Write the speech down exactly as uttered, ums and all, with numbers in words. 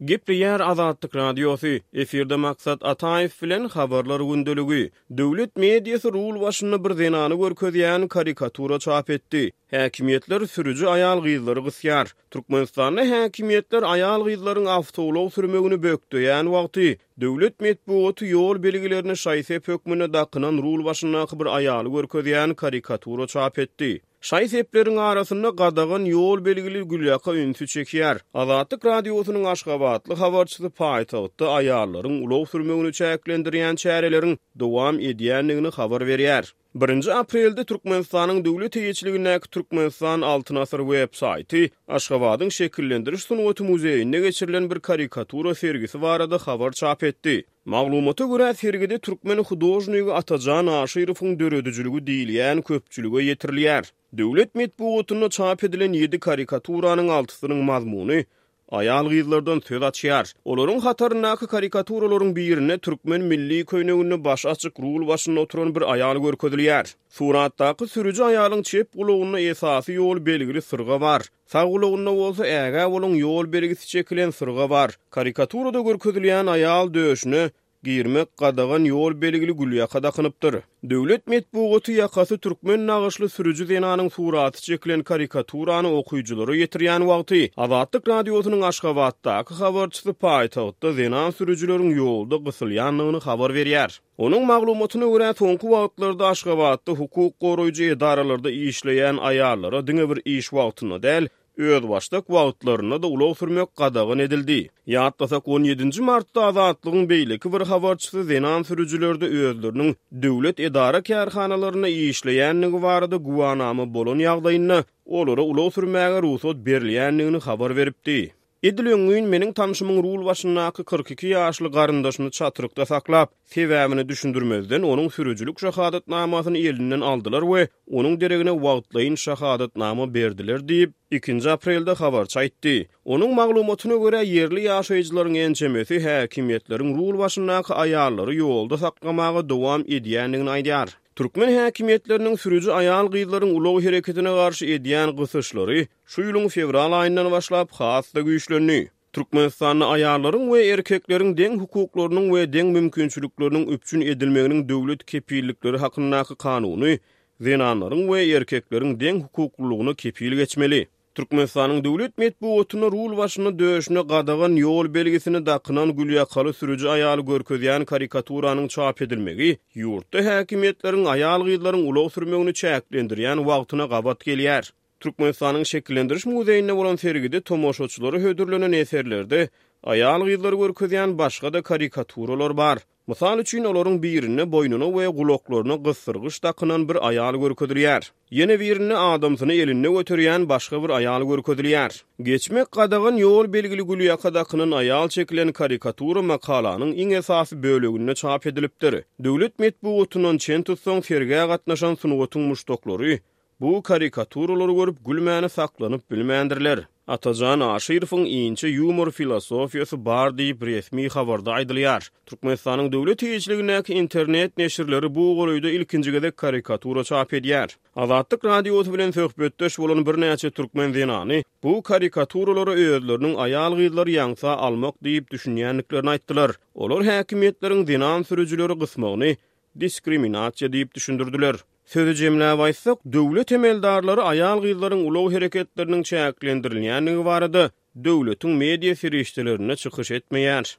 Gepleýär Azatlyk Radiosy, efirde Maksat Ataýew bilen Habarlar gündeligi. Döwlet mediasy rul başynda bir zenany görkezýän karikatura çap etdi. Häkimiýetler sürüji aýal-gyzlary gysýar. Türkmenistanda häkimiýetler aýal-gyzlaryň awtoulag sürmegini bökdeýän wagty, döwlet metbugaty ýol belgilerini şaý-sep hökmünde dakynan rul başyndaky bir aýaly görkezýän karikatura çap etdi. Şaý-sepleriň arasynda gadagan ýol belgili gülýaka ünsi çekýär. Azatlyk Radiosynyň aşgabatly habarçysy paýtagtda aýallaryň ulag sürmegini çäklendirýän çäreleriň dowam edýändigini habar berýär. Birinji aprelde Türkmenistanyň döwlet eýeçiligindäki Türkmenistan Altyn asyr web saýty Aşgabadyň Şekillendiriş sungaty muzeýinde geçirilen bir karikatura sergisi barada habar çap etdi. Maglumata görä, sergide türkmen hudožnigi Atajan Aşyrowyň döredijiligi diýilýän köpçülige ýetirilýär. Döwlet metbugatynda çap edilen ýedi karikaturanyň altysynyň mazmuny aýal-gyzlardan söz açýar. Olaryň hataryndaky karikaturalaryň birinde türkmen milli köýneginde başy açyk rul başynda oturan bir aýal görkezilýär. Suratdaky sürüji aýalyň çep gulagynda esasy ýol belgili syrga bar. Sag gulagynda bolsa ägä boluň ýol belgisi çekilen syrga bar. Karikaturada görkezilýän aýal döşüne girmek gadagan ýol belgili gülýaka dakynypdyr. Döwlet metbugaty ýakasy türkmen nagyşly sürüji zenanyň suraty çekilen karikaturany okyjylara ýetirýän wagty, Azatlyk Radiosynyň Aşgabatdaky habarçysy paýtagtda zenan sürüjileriň ýolda gysylýandygyny habar berýär. Onuň maglumatyna görä, soňky wagtlarda Aşgabatda hukuk goraýjy edaralarda işleýän aýallara diňe bir iş wagtynda däl, özbaşdak wagtlarynda-da ulag sürmek gadagan edildi. Ýatlasak, on ýedinji martda Azatlygyň beýleki bir habarçysy zenan sürüjilerde özleriniň döwlet edara-kärhanalarynda işleýändigi barada güwanama bolan ýagdaýynda olara ulag sürmäge rugsat berilýändigini habar beripdi. Edil öňňün meniň tanşymyň rul başyndaky kyrk iki ýaşly garyndaşyny çatrykda saklap, sebäbini düşündirmezden onuň sürüjilik şahadatnamasyny elinden aldylar we onuň deregine wagtlaýyn şahadatnama berdiler diýip, ikinji aprelde habarçy aýtdy. Onuň maglumatyna görä, ýerli ýaşaýjylaryň ençemesi häkimiýetleriň rul başyndaky aýallary ýolda saklamaga dowam edýändigini aýdýar. Türkmen häkimiýetleriniň sürüji aýal-gyzlaryň ulag hereketine garşy edýän gysyşlary şu ýylyň fewral aýyndan başlap has-da güýçlendi. Türkmenistanda aýallaryň we erkekleriň deň hukuklarynyň we deň mümkinçilikleriniň üpjün edilmeginiň döwlet kepillikleri hakyndaky kanuny zenanlaryň we erkekleriň deň hukuklylygyna kepil geçmeli. Türkmenistanyň döwlet metbugatynda rul başynda döşüne gadagan ýol belgisini dakynan gülýakaly sürüji aýaly görkezýän karikaturanyň çap edilmegi ýurtda häkimiýetleriň aýal-gyzlaryň ulag sürmegini çäklendirýän wagtyna gabat gelýär. Türkmenistanyň Şekillendiriş muzeýinde bolan sergide tomaşaçylara hödürlenen eserlerde aýal-gyzlary görkezýän başga-da karikaturalar bar. Mysal üçin, olaryň birinde boýnuna we gulaklaryna gysdyrgyç dakynan bir aýal görkezilýär. Ýene birinde adamsyny elinde göterýän başga bir aýal görkezilýär. Geçmek gadagan ýol belgili gülýaka dakynan aýal çekilen karikatura makalanyň iň esasy böleginde çap edilipdir. Döwlet metbugatyndan çen tutsaň, sergä gatnaşan sungatyň muşdaklary bu karikaturalary görüp gülmäni saklanyp bilmändirler. Atajan Aşyrowyň inçe ýumor filosofiýasy bar diýip resmi habarda aýdylýar. Türkmenistanyň döwlet eýeçiligindäki internet neşirleri bu golaýda ilkinji gezek karikatura çap edýär. Azatlyk Radiosy bilen söhbetdeş bolan birnäçe türkmen zenany bu karikaturalara özleriniň aýal-gyzlary ýaňsa almak diýip düşünýändiklerini aýtdylar. Olar häkimiýetleriň zenan sürüjileri gysmagyny diskriminasiýa diýip düşündirdiler. Sözi jemläp aýtsak, döwlet emeldarlary aýal-gyzlaryň ulag hereketleriniň çäklendirilýändigi barada döwletiň media serişdelerinde çykyş etmeýär.